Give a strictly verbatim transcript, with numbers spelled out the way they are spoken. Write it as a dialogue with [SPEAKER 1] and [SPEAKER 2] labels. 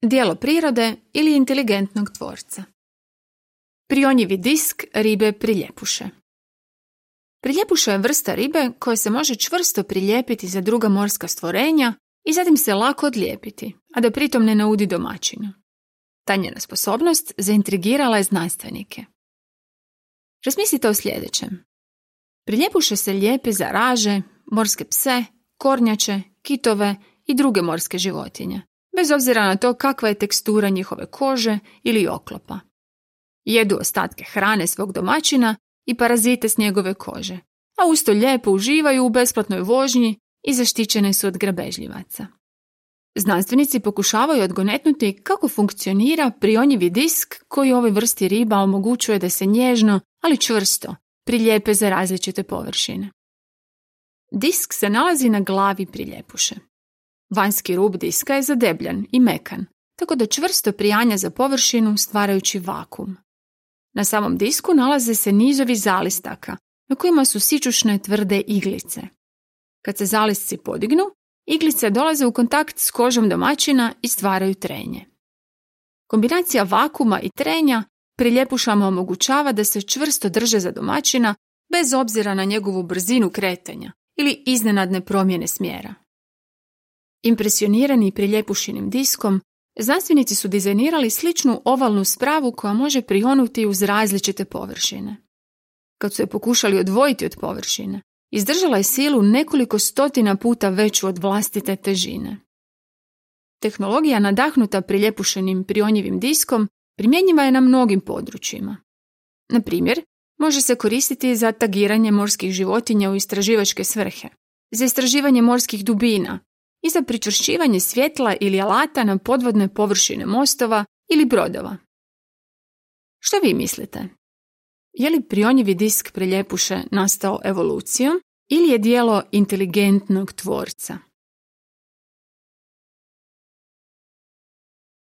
[SPEAKER 1] Djelo prirode ili inteligentnog tvorca. Prionjivi disk ribe priljepuše. Priljepuša je vrsta ribe koja se može čvrsto prilijepiti za druga morska stvorenja i zatim se lako odlijepiti, a da pritom ne naudi domaćinu. Ta njena sposobnost zaintrigirala je znanstvenike. Razmislite o sljedećem. Priljepuše se lijepe za raže, morske pse, kornjače, kitove i druge morske životinje, bez obzira na to kakva je tekstura njihove kože ili oklopa. Jedu ostatke hrane svog domaćina i parazite s njegove kože, a usto lijepo uživaju u besplatnoj vožnji i zaštićene su od grabežljivaca. Znanstvenici pokušavaju odgonetnuti kako funkcionira prionjivi disk koji ovoj vrsti riba omogućuje da se nježno, ali čvrsto, prilijepe za različite površine. Disk se nalazi na glavi priljepuše. Vanjski rub diska je zadebljan i mekan, tako da čvrsto prijanja za površinu stvarajući vakuum. Na samom disku nalaze se nizovi zalistaka, na kojima su sićušne tvrde iglice. Kad se zalisci podignu, iglice dolaze u kontakt s kožom domaćina i stvaraju trenje. Kombinacija vakuma i trenja priljepušama omogućava da se čvrsto drže za domaćina bez obzira na njegovu brzinu kretanja ili iznenadne promjene smjera. Impresionirani priljepušinim diskom, znanstvenici su dizajnirali sličnu ovalnu spravu koja može prionuti uz različite površine. Kad su je pokušali odvojiti od površine, izdržala je silu nekoliko stotina puta veću od vlastite težine. Tehnologija nadahnuta priljepušenim prionjivim diskom primjenjiva je na mnogim područjima. Na primjer, može se koristiti za tagiranje morskih životinja u istraživačke svrhe, za istraživanje morskih dubina i za pričvršćivanje svjetla ili alata na podvodne površine mostova ili brodova. Što vi mislite? Je li prionjivi disk priljepuše nastao evolucijom ili je djelo inteligentnog tvorca?